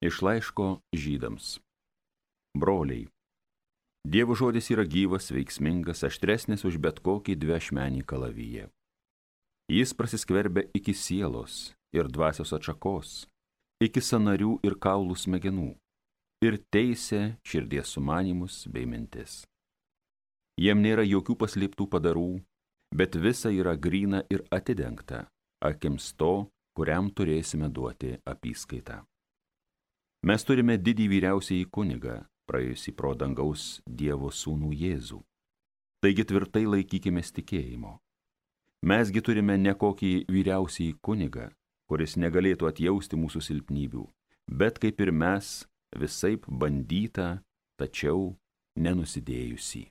Iš laiško Žydams. Broliai, Dievo žodis yra gyvas, veiksmingas, aštresnis už bet kokį dviašmenį kalaviją. Jis prasiskverbia iki sielos ir dvasios atšakos, iki sąnarių ir kaulų smegenų, ir teisia širdies sumanymus bei mintis. Jiem nėra jokių paslėptų padarų, bet visa yra gryna ir atidengta akims to, kuriam turėsime duoti apyskaitą. Mes turime didį vyriausiąjį kunigą, praėjusį pro dangaus Dievo sūnų Jėzų. Taigi tvirtai laikykimės tikėjimo. Mesgi turime ne kokį vyriausiąjį kunigą, kuris negalėtų atjausti mūsų silpnybių, bet kaip ir mes, visaip bandytą, tačiau nenusidėjusį.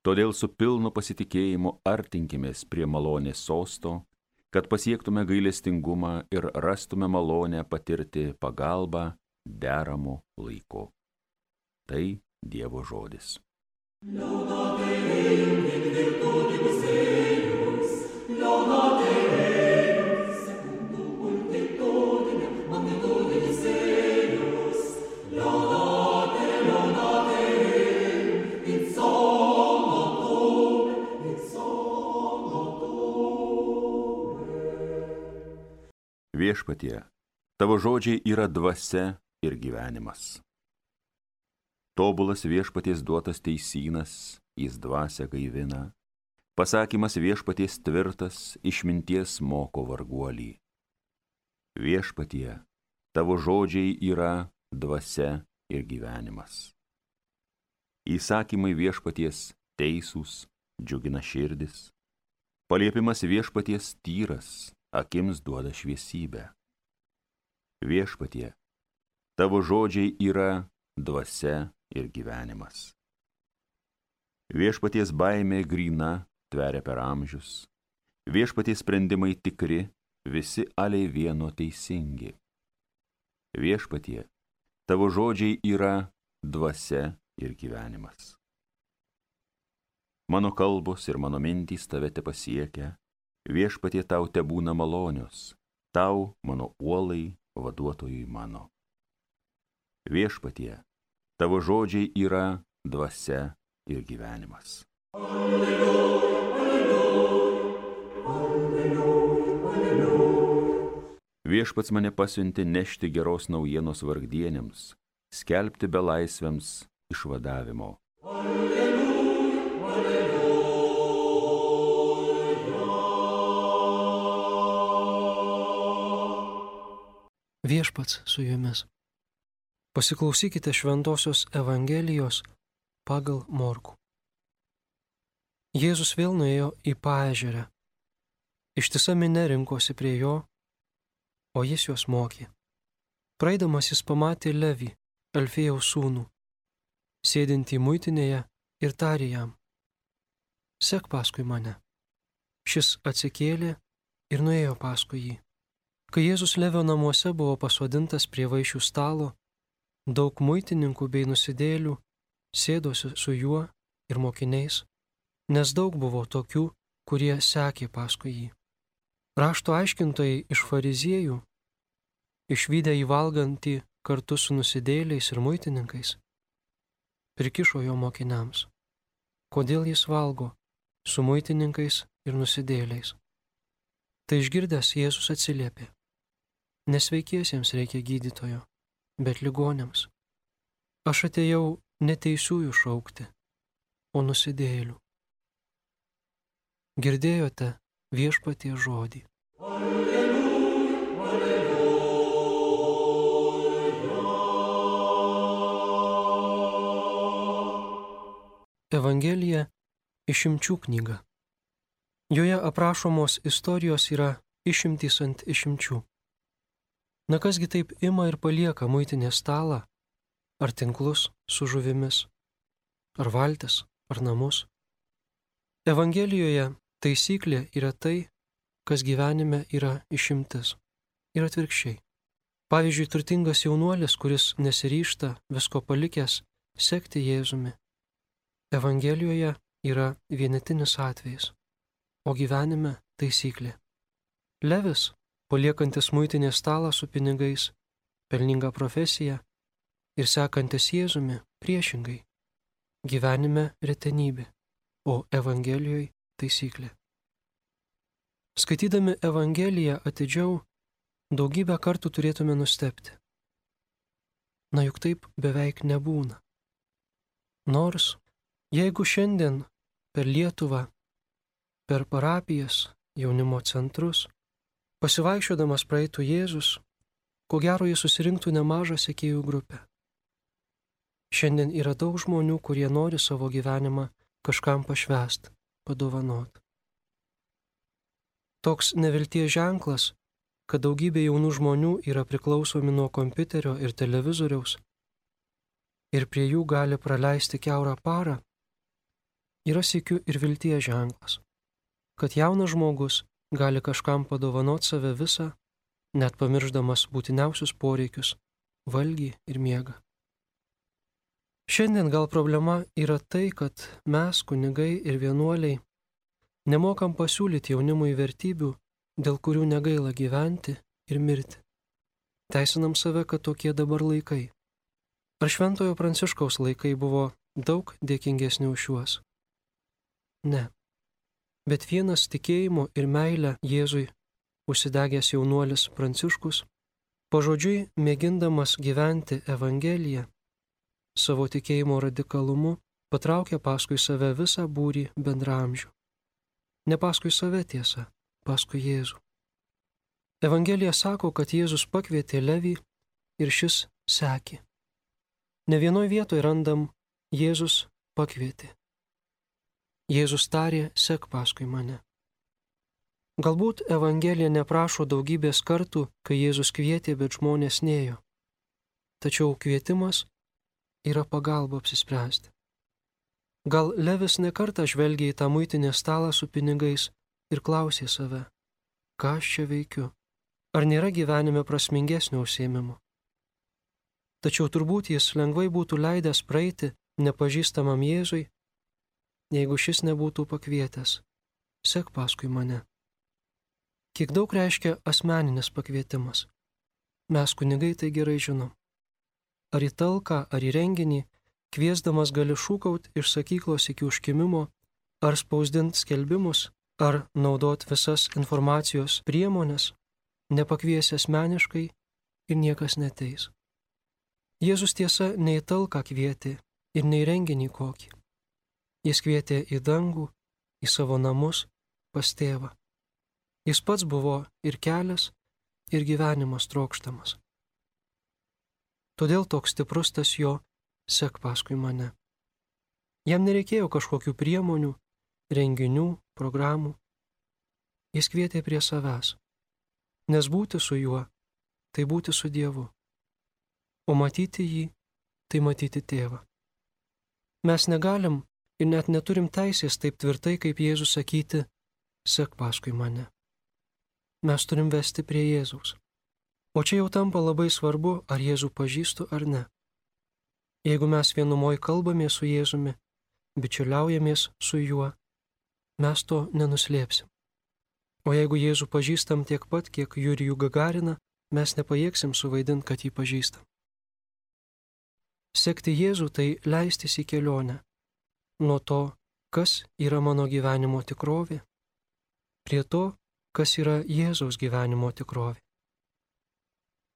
Todėl su pilnu pasitikėjimu artinkimės prie malonės sosto, kad pasiektume gailestingumą ir rastume malonę patirti pagalbą deramu laiku. Tai Dievo žodis. Viešpatie, tavo žodžiai yra dvasia ir gyvenimas. Tobulas viešpaties duotas teisynas, jis dvasią gaivina. Pasakymas viešpaties tvirtas, išminties moko varguolį. Viešpatie, tavo žodžiai yra dvasia ir gyvenimas. Įsakymai viešpaties teisūs, džiugina širdis. Paliepimas viešpaties tyras, akims duoda šviesybę. Viešpatie, tavo žodžiai yra dvasia ir gyvenimas. Viešpaties baimė gryna, tveria per amžius. Viešpaties sprendimai tikri, visi aliai vieno teisingi. Viešpatie, tavo žodžiai yra dvasia ir gyvenimas. Mano kalbos ir mano mintys tave tepasiekia. Viešpatie, tau tebūna malonios, tau, mano uolai, vaduotojui mano. Viešpatie, tavo žodžiai yra dvasia ir gyvenimas. Alleluja, alleluja, alleluja, alleluja. Viešpats mane pasiuntė nešti geros naujienos vargdienėms, skelbti belaisviams išvadavimo. Alleluja, alleluja. Viešpats su jumis. Pasiklausykite Šventosios Evangelijos pagal Morkų. Jėzus vėl nuėjo į paežerę. Ištisa minia rinkosi prie jo, o jis juos mokė. Praeidamas jis pamatė Levį, Alfėjaus sūnų, sėdintį muitinėje ir tarė jam: Sek paskui mane. Šis atsikėlė ir nuėjo paskui jį. Kai Jėzus Levio namuose buvo pasodintas prie vaišių stalo, daug muitininkų bei nusidėjėlių sėdosi su juo ir mokiniais, nes daug buvo tokių, kurie sekė paskui jį. Rašto aiškintojai iš fariziejų, išvydę jį valgantį kartu su nusidėjėliais ir muitininkais, prikišo jo mokiniams: Kodėl jis valgo su muitininkais ir nusidėjėliais? Tai išgirdęs Jėzus atsiliepė: Nesveikiesiems reikia gydytojo, bet ligoniams. Aš atėjau ne teisiųjų šaukti, o nusidėjėlių. Girdėjote Viešpaties žodį. Alleluja, alleluja. Evangelija išimčių knyga. Joje aprašomos istorijos yra išimtys ant išimčių. Na kasgi taip ima ir palieka muitinės stalą, ar tinklus su žuvimis, ar valtis, ar namus? Evangelijoje taisyklė yra tai, kas gyvenime yra išimtis, ir atvirkščiai. Pavyzdžiui, turtingas jaunuolis, kuris nesiryžta visko palikęs sekti Jėzumi. Evangelijoje yra vienetinis atvejis, o gyvenime taisyklė. Levis, paliekantis muitinės stalą su pinigais, pelningą profesiją ir sekantis Jėzumi priešingai. Gyvenime retenybė, o Evangelijoje taisyklė. Skaitydami Evangeliją atidžiau, daugybę kartų turėtume nustebti. Na juk taip beveik nebūna. Nors, jeigu šiandien per Lietuvą, per parapijas, jaunimo centrus, pasivaikščiodamas praeitų Jėzus, ko gero jis susirinktų nemažą sekėjų grupę. Šiandien yra daug žmonių, kurie nori savo gyvenimą kažkam pašvęst, padovanot. Toks nevilties ženklas, kad daugybė jaunų žmonių yra priklausomi nuo kompiuterio ir televizoriaus ir prie jų gali praleisti kiaurą parą, yra sykiu ir vilties ženklas, kad jaunas žmogus gali kažkam padovanot save visą, net pamiršdamas būtiniausius poreikius – valgį ir miegą. Šiandien gal problema yra tai, kad mes, kunigai ir vienuoliai, nemokam pasiūlyti jaunimui vertybių, dėl kurių negaila gyventi ir mirti. Teisinam save, kad tokie dabar laikai. Ar Šventojo Pranciškaus laikai buvo daug dėkingesni už šiuos? Ne. Bet vienas tikėjimo ir meilę Jėzui užsidegęs jaunuolis Pranciškus, pažodžiui mėgindamas gyventi Evangeliją, savo tikėjimo radikalumu patraukė paskui save visą būrį bendraamžių. Ne paskui save tiesa, paskui Jėzų. Evangelija sako, kad Jėzus pakvietė Levį ir šis sekė. Ne vienoj vietoje randam Jėzus pakvietė. Jėzus tarė, sek paskui mane. Galbūt Evangelija neprašo daugybės kartų, kai Jėzus kvietė, bet žmonės nėjo. Tačiau kvietimas yra pagalba apsispręsti. Gal Levis nekartą žvelgė į tą muitinės stalą su pinigais ir klausė save, ką aš čia veikiu, ar nėra gyvenime prasmingesnio užsiėmimo. Tačiau turbūt jis lengvai būtų leidęs praeiti nepažįstamam Jėzui, jeigu šis nebūtų pakvietęs, sek paskui mane. Kiek daug reiškia asmeninis pakvietimas. Mes kunigai tai gerai žinom. Ar į talką, ar į renginį, kviesdamas gali šūkaut iš sakyklos iki užkimimo, ar spausdint skelbimus, ar naudot visas informacijos priemonės, nepakviesi asmeniškai ir niekas neteis. Jėzus tiesa ne į talką kvietė ir ne į renginį kokį. Jis kvietė į dangų, į savo namus, pas tėvą. Jis pats buvo ir kelias, ir gyvenimas trokštamas. Todėl toks stiprus tas jo sek paskui mane. Jam nereikėjo kažkokių priemonių, renginių, programų. Jis kvietė prie savęs, nes būti su juo, tai būti su Dievu, o matyti jį, tai matyti tėvą. Mes negalim ir net neturim teisės taip tvirtai kaip Jėzus sakyti, sek paskui mane. Mes turim vesti prie Jėzaus. O čia jau tampa labai svarbu, ar Jėzų pažįstu ar ne. Jeigu mes vienumoj kalbamės su Jėzumi, bičiuliaujamės su juo, mes to nenuslėpsim. O jeigu Jėzų pažįstam tiek pat, kiek Jurijų Gagariną, mes nepajėgsim suvaidinti, kad jį pažįstam. Sekti Jėzų tai leistis į kelionę. Nuo to, kas yra mano gyvenimo tikrovė, prie to, kas yra Jėzaus gyvenimo tikrovė.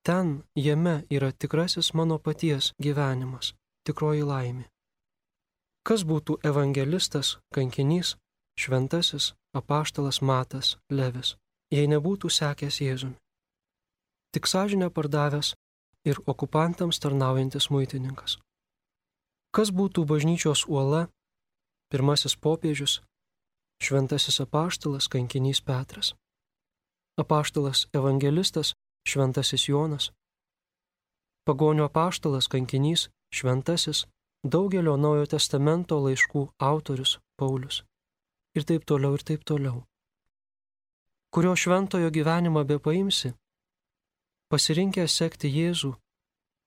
Ten, jame yra tikrasis mano paties gyvenimas, tikroji laimė. Kas būtų evangelistas, kankinys, šventasis, apaštalas Matas, Levis, jei nebūtų sekęs Jėzumi? Tik sąžinę pardavęs ir okupantams tarnaujantis muitininkas. Kas būtų bažnyčios uola, pirmasis popiežius, šventasis apaštalas, kankinys Petras, apaštalas evangelistas, šventasis Jonas, pagonių apaštalas, kankinys, šventasis, daugelio Naujojo testamento laiškų autorius Paulius ir taip toliau. Kurio šventojo gyvenimą bepaimsi, pasirinkęs sekti Jėzų,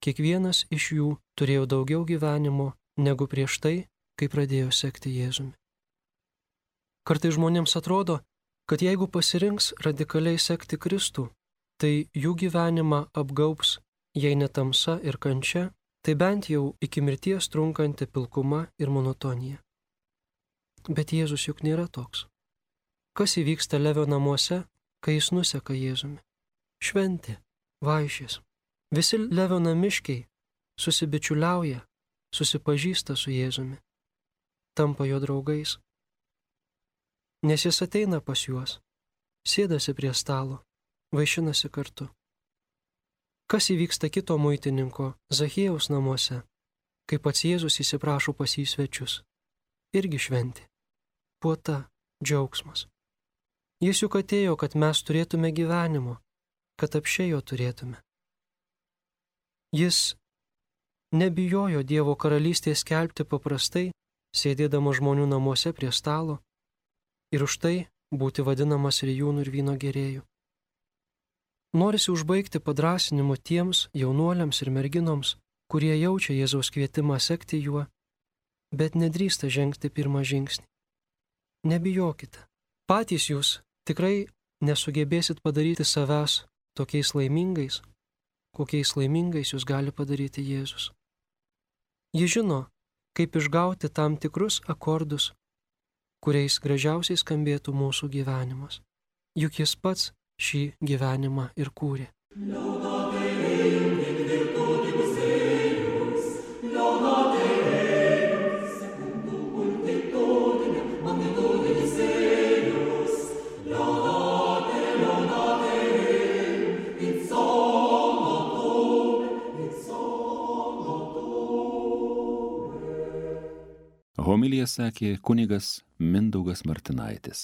kiekvienas iš jų turėjo daugiau gyvenimo negu prieš tai, kai pradėjo sekti Jėzumi. Kartai žmonėms atrodo, kad jeigu pasirinks radikaliai sekti Kristų, tai jų gyvenimą apgaubs jei ne tamsa ir kančia, tai bent jau iki mirties trunkanti pilkuma ir monotonija. Bet Jėzus juk nėra toks. Kas įvyksta Levio namuose, kai jis nuseka Jėzumi? Šventė, vaišės. Visi Levio namiškiai susibičiuliauja, susipažįsta su Jėzumi, tampa jo draugais. Nes jis ateina pas juos, sėdasi prie stalo, vaišinasi kartu. Kas įvyksta kito muitininko Zachiejaus namuose, kai pats Jėzus įsiprašo pas jį svečius? Irgi šventė, puota, džiaugsmas. Jis juk atėjo, kad mes turėtume gyvenimo, kad apsčiai jo turėtume. Jis nebijojo Dievo karalystės skelbti paprastai, sėdėdama žmonių namuose prie stalo, ir už tai būti vadinamas rijūnų ir vyno gėrėjų. Norisi užbaigti padrąsinimu tiems jaunuoliams ir merginoms, kurie jaučia Jėzaus kvietimą sekti juo, bet nedrįsta žengti pirmą žingsnį. Nebijokite. Patys jūs tikrai nesugebėsit padaryti savęs tokiais laimingais, kokiais laimingais jūs gali padaryti Jėzus. Jis žino, kaip išgauti tam tikrus akordus, kuriais gražiausiai skambėtų mūsų gyvenimas. Juk jis pats šį gyvenimą ir kūrė. Homiliją sakė kunigas Mindaugas Martinaitis.